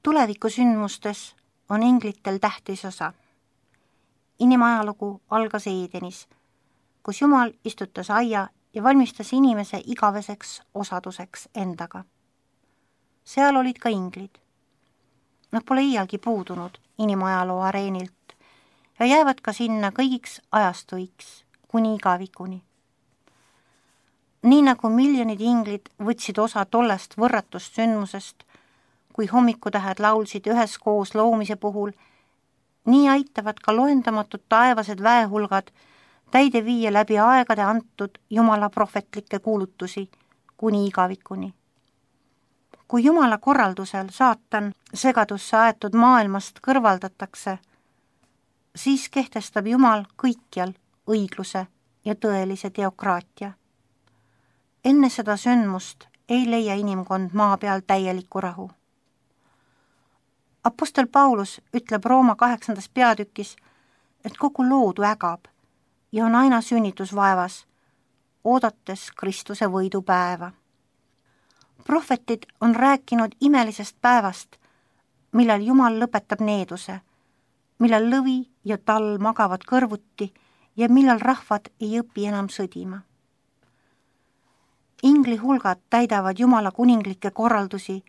Tulevikusündmustes on inglitel tähtis osa. Inimajalugu algas Eedenis, kus Jumal istutas aia ja valmistas inimese igaveseks osaduseks endaga. Seal olid ka inglid. Nad pole iialgi puudunud inimajaloo areenilt ja jäävad ka sinna kõigiks ajastuiks, kuni igavikuni. Nii nagu miljonid inglid võtsid osa tollest võrratust sündmusest, kui hommikutähed laulsid üheskoos loomise puhul, nii aitavad ka loendamatud taevased väehulgad täide viia läbi aegade antud Jumala prohvetlikke kuulutusi kuni igavikuni. Kui Jumala korraldusel saatan segadusse aetud maailmast kõrvaldatakse, siis kehtestab Jumal kõikjal õigluse ja tõelise teokraatia. Enne seda sündmust ei leia inimkond maa peal täielikku rahu. Apostel Paulus ütleb Rooma 8. peatükis, et kogu loodu ägab ja on aina sünnitusvaevas, oodates Kristuse võidupäeva. Prohvetid on rääkinud imelisest päevast, millal Jumal lõpetab needuse, millal lõvi ja tall magavad kõrvuti ja millal rahvad ei õpi enam sõdima. Ingli hulgad täidavad Jumala kuninglikke korraldusi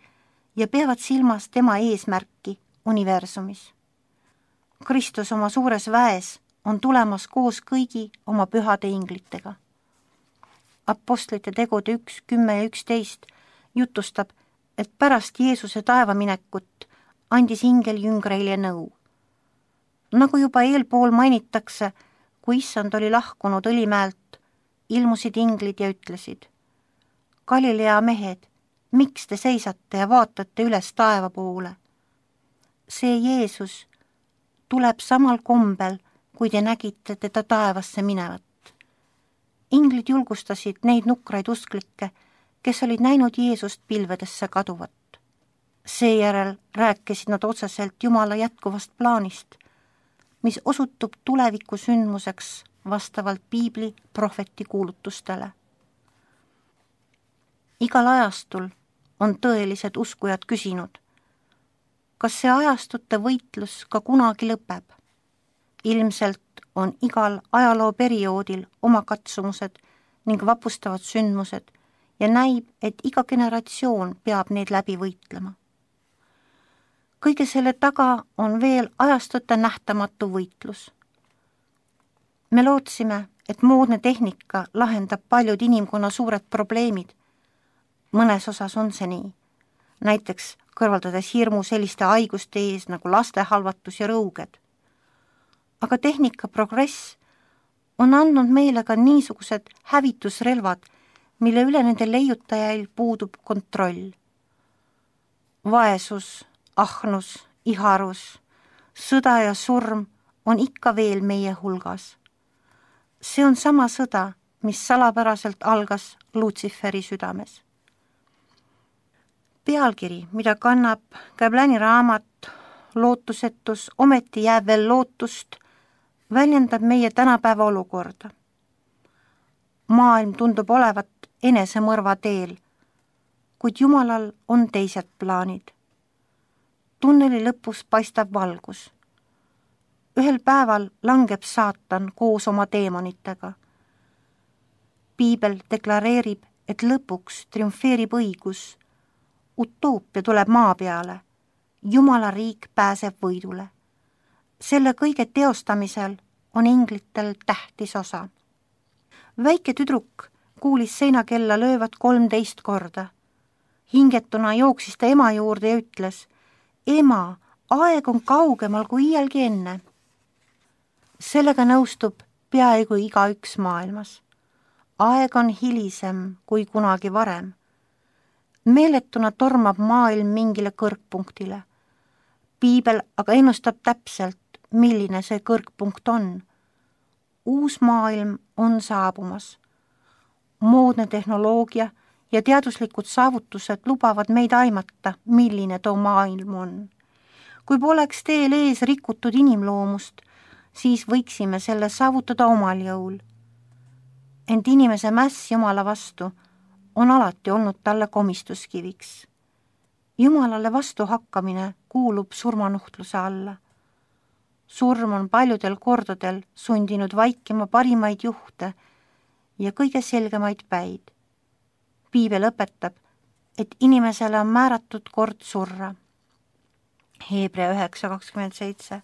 ja peavad silmas tema eesmärki universumis. Kristus oma suures väes on tulemas koos kõigi oma pühade inglitega. Apostlite tegude 1, 10 ja 11 jutustab, et pärast Jeesuse taevaminekut andis ingel jüngreile nõu. Nagu juba eelpool mainitakse, kui issand oli lahkunud Õlimäelt, ilmusid inglid ja ütlesid: Galilea mehed, miks te seisate ja vaatate üles taeva poole? See Jeesus tuleb samal kombel, kui te nägite teda taevasse minevat. Inglid julgustasid neid nukraid usklikke, kes olid näinud Jeesust pilvedesse kaduvat. Seejärel rääkisid nad otseselt Jumala jätkuvast plaanist, mis osutub tuleviku sündmuseks vastavalt piibli prohveti kuulutustele. Igal ajastul on tõelised uskujad küsinud, kas see ajastute võitlus ka kunagi lõpeb? Ilmselt on igal ajalooperioodil oma katsumused ning vapustavad sündmused ja näib, et iga generatsioon peab neid läbi võitlema. Kõige selle taga on veel ajastute nähtamatu võitlus. Me lootsime, et moodne tehnika lahendab paljud inimkonna suured probleemid. Mõnes osas on see nii, näiteks kõrvaldades hirmu selliste haiguste ees nagu lastehalvatus ja rõuged. Aga tehnika progress on andnud meile ka niisugused hävitusrelvad, mille üle nende leiutajail puudub kontroll. Vaesus, ahnus, iharus, sõda ja surm on ikka veel meie hulgas. See on sama sõda, mis salapäraselt algas Lutsiferi südames. Pealkiri, mida kannab Käbläni raamat Lootusetus, ometi jääb veel lootust, väljendab meie tänapäeva olukorda. Maailm tundub olevat enesemõrva teel, kuid Jumalal on teised plaanid. Tunneli lõpus paistab valgus. Ühel päeval langeb saatan koos oma teemonitega. Piibel deklareerib, et lõpuks triumfeerib õigus. Utoopia tuleb maa peale. Jumala riik pääseb võidule. Selle kõige teostamisel on inglitel tähtis osa. Väike tüdruk kuulis seinakella löövat 13 korda. Hingetuna jooksis ta ema juurde ja ütles: Ema, aeg on kaugemal kui iialgi enne. Sellega nõustub peaaegu igaüks maailmas. Aeg on hilisem kui kunagi varem. Meeletuna tormab maailm mingile kõrgpunktile. Piibel aga ennustab täpselt, milline see kõrgpunkt on. Uus maailm on saabumas. Moodne tehnoloogia ja teaduslikud saavutused lubavad meid aimata, milline too maailm on. Kui poleks teel ees rikutud inimloomust, siis võiksime selle saavutada omal jõul. Ent inimese mäss Jumala vastu on alati olnud talle komistuskiviks. Jumalale vastuhakkamine kuulub surmanuhtluse alla. Surm on paljudel kordadel sundinud vaikima parimaid juhte ja kõige selgemaid päid. Piibel õpetab, et inimesele on määratud kord surra. Hebra 9:27.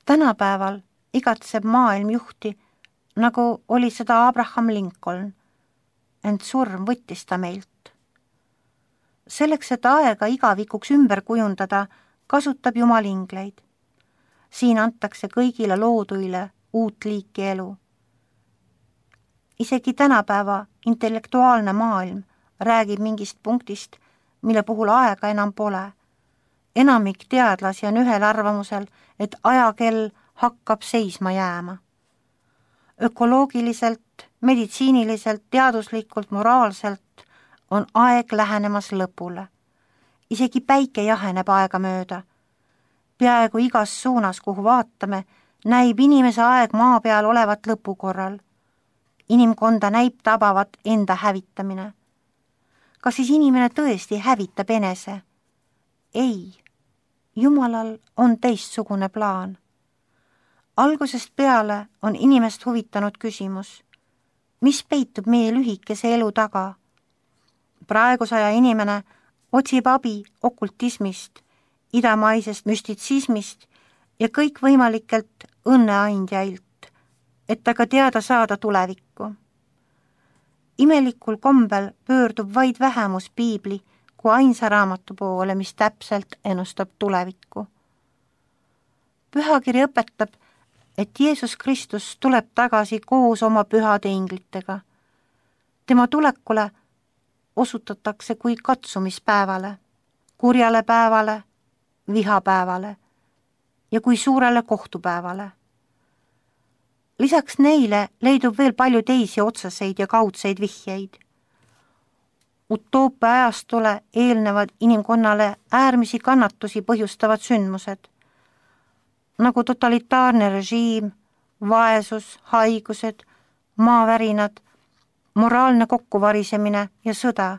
Tänapäeval igatseb maailm juhti, nagu oli seda Abraham Lincoln, ent surm võttis ta meilt. Selleks, et aega igavikuks ümber kujundada, kasutab Jumal ingleid. Siin antakse kõigile looduile uut liiki elu. Isegi tänapäeva intellektuaalne maailm räägib mingist punktist, mille puhul aega enam pole. Enamik teadlasi on ühel arvamusel, et ajakell hakkab seisma jääma. Ökoloogiliselt, meditsiiniliselt, teaduslikult, moraalselt on aeg lähenemas lõpule. Isegi päike jaheneb aega mööda. Peaaegu igas suunas, kuhu vaatame, näib inimese aeg maa peal olevat lõpukorral. Inimkonda näib tabavat enda hävitamine. Kas siis inimene tõesti hävitab enese? Ei, Jumalal on teistsugune plaan. Algusest peale on inimest huvitanud küsimus, mis peitub meie lühikese elu taga? Praeguse aja inimene otsib abi okultismist, idamaisest müstitsismist ja kõikvõimalikelt õnneandjailt, et aga teada saada tulevikku. Imelikul kombel pöördub vaid vähemus piibli kui ainsa raamatu poole, mis täpselt ennustab tulevikku. Pühakiri õpetab, et Jeesus Kristus tuleb tagasi koos oma pühade inglitega. Tema tulekule osutatakse kui katsumispäevale, kurjale päevale, vihapäevale ja kui suurele kohtupäevale. Lisaks neile leidub veel palju teisi otseseid ja kaudseid vihjeid. Utoopia ajastule eelnevad inimkonnale äärmisi kannatusi põhjustavad sündmused, nagu totalitaarne režiim, vaesus, haigused, maavärinad, moraalne kokkuvarisemine ja sõda,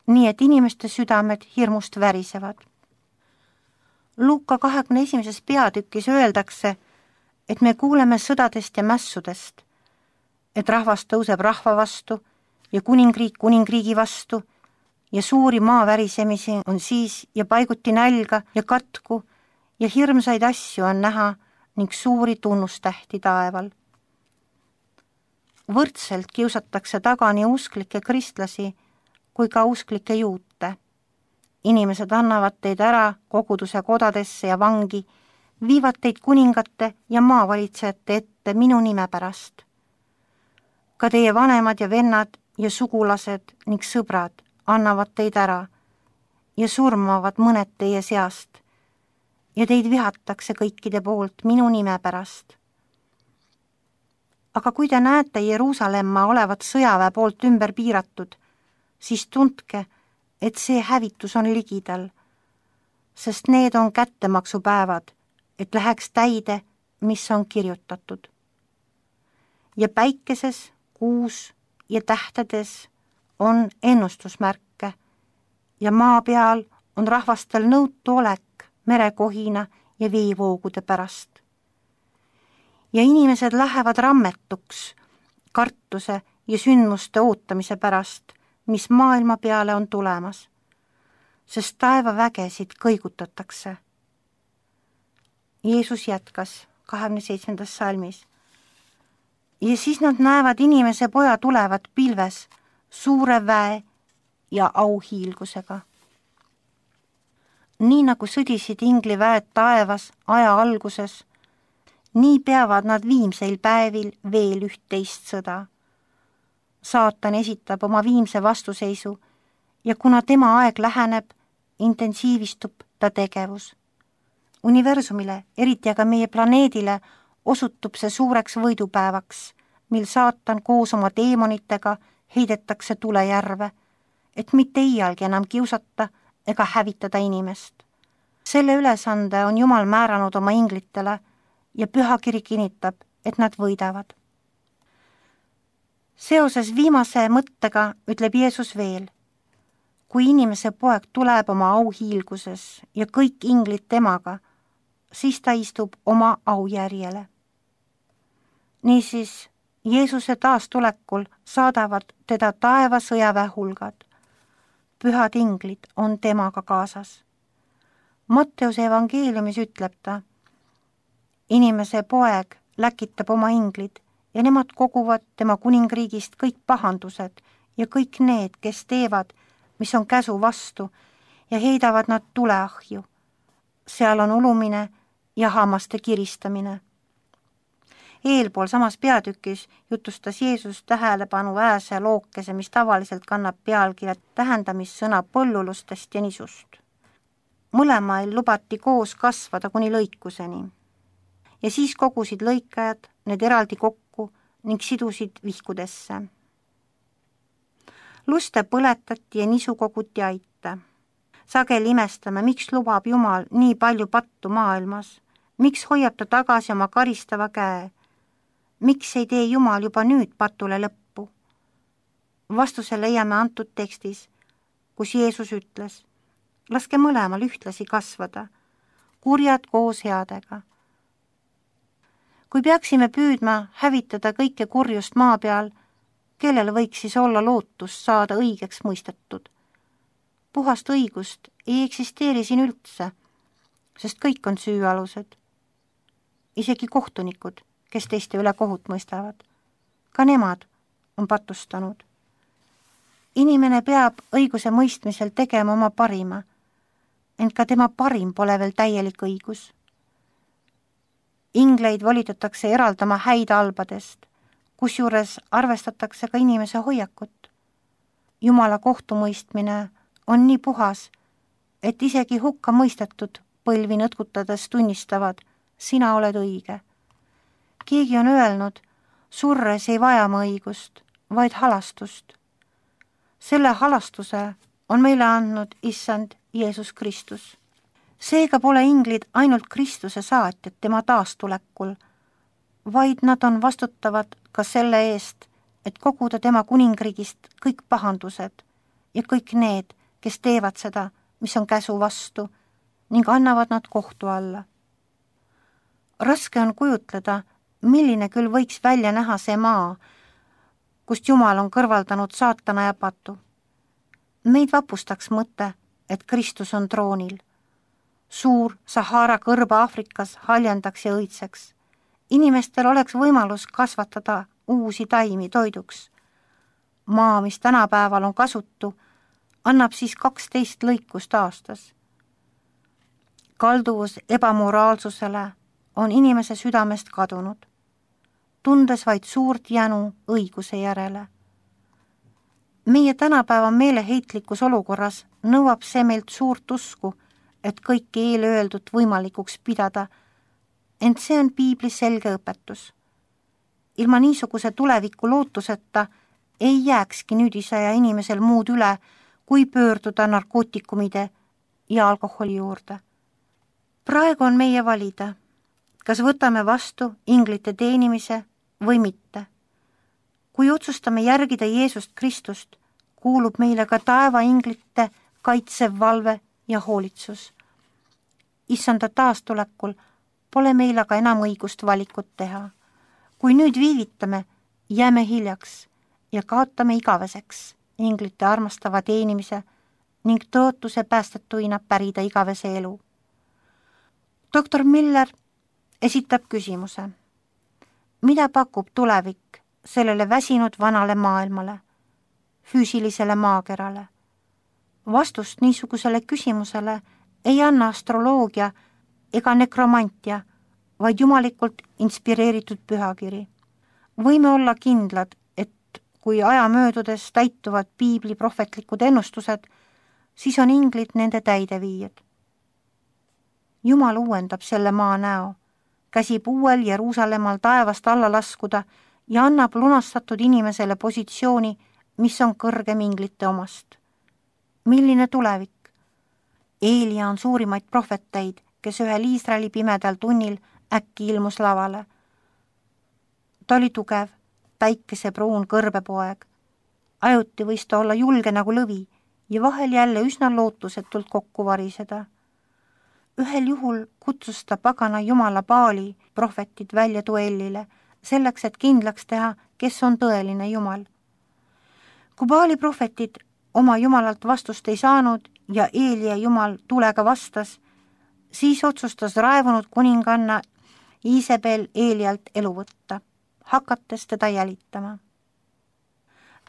nii et inimeste südamed hirmust värisevad. Luuka 21. peatükis öeldakse, et me kuuleme sõdadest ja mässudest, et rahvas tõuseb rahva vastu ja kuningriik kuningriigi vastu ja suuri maavärisemisi on siis ja paiguti nälga ja katku ja hirmsaid asju on näha ning suuri tunnustähti taeval. Võrdselt kiusatakse taga nii usklikke kristlasi kui ka usklikke juute. Inimesed annavad teid ära koguduse kodadesse ja vangi, viivad teid kuningate ja maavalitsejate ette minu nime pärast. Ka teie vanemad ja vennad ja sugulased ning sõbrad annavad teid ära ja surmavad mõned teie seast ja teid vihatakse kõikide poolt minu nime pärast. Aga kui te näete Jeruusalemma olevat sõjaväe poolt ümber piiratud, siis tundke, et see hävitus on ligidal, sest need on kättemaksupäevad, et läheks täide, mis on kirjutatud. Ja päikeses, kuus ja tähtedes on ennustusmärke ja maa peal on rahvastel nõutu olek merekohina ja veevoogude pärast. Ja inimesed lähevad rammetuks kartuse ja sündmuste ootamise pärast, mis maailma peale on tulemas, sest taevavägesid kõigutatakse. Jeesus jätkas 27. salmis. Ja siis nad näevad inimese poja tulevat pilves suure väe ja auhiilgusega. Nii nagu sõdisid ingliväed taevas aja alguses, nii peavad nad viimseil päevil veel üht-teist sõda. Saatan esitab oma viimse vastuseisu ja kuna tema aeg läheneb, intensiivistub ta tegevus. Universumile, eriti aga meie planeedile, osutub see suureks võidupäevaks, mil saatan koos oma teemonitega heidetakse tulejärve, et mitte iialgi enam kiusata ega hävitada inimest. Selle ülesande on Jumal määranud oma inglitele ja pühakiri kinnitab, et nad võidavad. Seoses viimase mõttega ütleb Jeesus veel, kui inimese poeg tuleb oma auhiilguses ja kõik inglid temaga, siis ta istub oma aujärjele. Niisiis, Jeesuse taastulekul saadavad teda taeva sõjaväe hulgad. Pühad inglid on temaga kaasas. Matteuse evangeeliumis ütleb ta, inimese poeg läkitab oma inglid ja nemad koguvad tema kuningriigist kõik pahandused ja kõik need, kes teevad, mis on käsu vastu ja heidavad nad tuleahju. Seal on ulumine ja hammaste kiristamine. Eelpool samas peatükis jutustas Jeesus tähelepanu ääse lookese, mis tavaliselt kannab pealkirja tähendamissõna põllulustest ja nisust. Mõlemail lubati koos kasvada kuni lõikuseni. Ja siis kogusid lõikajad need eraldi kokku ning sidusid vihkudesse. Luste põletati ja nisu koguti aita. Sageli imestame, miks lubab Jumal nii palju pattu maailmas, miks hoiab ta tagasi oma karistava käe, miks ei tee Jumal juba nüüd patule lõppu? Vastuse leiame antud tekstis, kus Jeesus ütles, laske mõlemal ühtlasi kasvada, kurjad koos headega. Kui peaksime püüdma hävitada kõike kurjust maa peal, kellel võiks siis olla lootust saada õigeks mõistetud? Puhast õigust ei eksisteeri siin üldse, sest kõik on süüalused. Isegi kohtunikud, kes teiste üle kohut mõistavad. Ka nemad on patustanud. Inimene peab õiguse mõistmisel tegema oma parima, ent ka tema parim pole veel täielik õigus. Ingleid volitatakse eraldama häid albadest, kusjuures arvestatakse ka inimese hoiakut. Jumala kohtumõistmine on nii puhas, et isegi hukka mõistetud põlvi nõtkutades tunnistavad, sina oled õige. Keegi on öelnud, surres ei vaja ma õigust, vaid halastust. Selle halastuse on meile andnud issand Jeesus Kristus. Seega pole inglid ainult Kristuse saatjad tema taastulekul, vaid nad on vastutavad ka selle eest, et koguda tema kuningriigist kõik pahandused ja kõik need, kes teevad seda, mis on käsu vastu, ning annavad nad kohtu alla. Raske on kujutleda, milline küll võiks välja näha see maa, kust Jumal on kõrvaldanud saatana ja patu. Meid vapustaks mõte, et Kristus on troonil. Suur Sahara kõrba Aafrikas haljendaks ja õitseks. Inimestel oleks võimalus kasvatada uusi taimi toiduks. Maa, mis tänapäeval on kasutu, annab siis 12 lõikust aastas. Kalduvus ebamoraalsusele on inimese südamest kadunud, tundes vaid suurt jänu õiguse järele. Meie tänapäeva meeleheitlikus olukorras nõuab see meilt suurt usku, et kõike eelöeldut võimalikuks pidada, ent see on piibli selge õpetus. Ilma niisuguse tuleviku lootuseta ei jääkski nüüdisaja inimesel muud üle, kui pöörduda narkootikumide ja alkoholi juurde. Praegu on meie valida, kas võtame vastu inglite teenimise või mitte. Kui otsustame järgida Jeesust Kristust, kuulub meile ka taeva inglite kaitsev valve ja hoolitsus. Issanda taastulekul pole meil aga enam õigust valikut teha. Kui nüüd viivitame, jääme hiljaks ja kaotame igaveseks inglite armastava teenimise ning tõotuse päästetuina pärida igavese elu. Doktor Miller esitab küsimuse. Mida pakub tulevik sellele väsinud vanale maailmale, füüsilisele maakerale? Vastust niisugusele küsimusele ei anna astroloogia ega nekromantia, vaid jumalikult inspireeritud pühakiri. Võime olla kindlad, et kui aja möödudes täituvad piibli prohvetlikud ennustused, siis on inglid nende täideviijad. Jumal uuendab selle maa näo, käsib uuel Jeruusalemmal taevast alla laskuda ja annab lunastatud inimesele positsiooni, mis on kõrgem inglite omast. Milline tulevik? Eelia on suurimaid prohveteid, kes ühel Iisraeli pimedal tunnil äkki ilmus lavale. Ta oli tugev, päikesepruun kõrbepoeg. Ajuti võis ta olla julge nagu lõvi ja vahel jälle üsna lootusetult kokku variseda. Ühel juhul kutsus ta pagana jumala Baali prohvetid välja duellile, selleks, et kindlaks teha, kes on tõeline jumal. Kui Baali prohvetid oma jumalalt vastust ei saanud ja Eelia jumal tulega vastas, siis otsustas raevunud kuninganna Iisabel Eelialt elu võtta, hakates teda jälitama.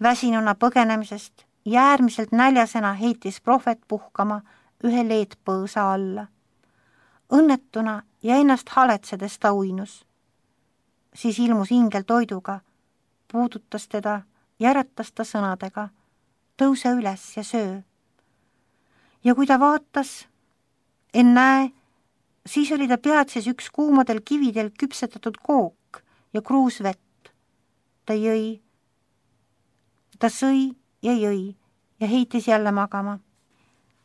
Väsinuna põgenemisest ja äärmiselt näljasena heitis prohvet puhkama ühe leedpõõsa alla. Õnnetuna ja ennast haletsedes ta uinus. Siis ilmus ingel toiduga, puudutas teda ja äratas ta sõnadega: tõuse üles ja söö. Ja kui ta vaatas, ennäe, siis oli ta peatses üks kuumadel kividel küpsetatud kook ja kruus vett. Ta sõi ja jõi ja heitis jälle magama.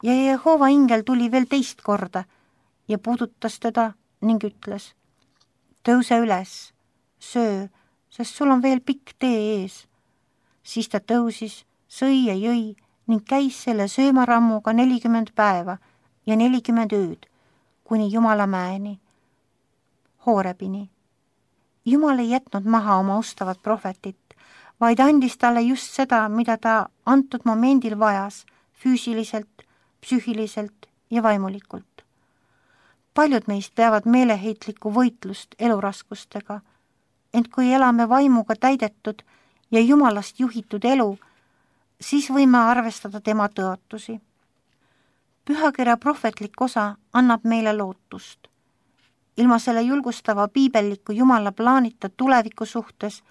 Ja Jehova ingel tuli veel teist korda ja puudutas teda ning ütles: tõuse üles, söö, sest sul on veel pikk tee ees. Siis ta tõusis, sõi ja jõi ning käis selle söömarammuga 40 päeva ja 40 ööd, kuni Jumala mäeni, Hoorebini. Jumal ei jätnud maha oma ustavat prohvetit, vaid andis talle just seda, mida ta antud momendil vajas, füüsiliselt, psüühiliselt ja vaimulikult. Paljud meist peavad meeleheitlikku võitlust eluraskustega, ent kui elame vaimuga täidetud ja Jumalast juhitud elu, siis võime arvestada tema tõotusi. Pühakirja prohvetlik osa annab meile lootust. Ilma selle julgustava piibelliku Jumala plaanita tuleviku suhtes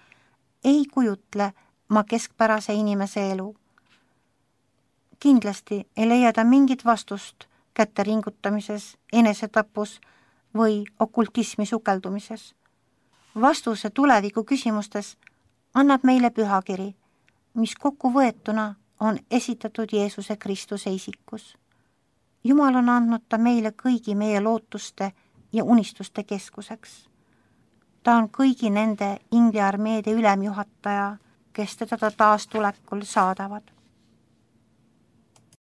ei kujutle ma keskpärase inimese elu. Kindlasti ei leia ta mingit vastust kätte ringutamises, enesetapus või okultismi sukeldumises. Vastuse tuleviku küsimustes annab meile pühakiri, mis kokkuvõetuna on esitatud Jeesuse Kristuse isikus. Jumal on andnud ta meile kõigi meie lootuste ja unistuste keskuseks. Ta on kõigi nende ingliarmeede ülemjuhataja, kes teda taas tulekul saadavad.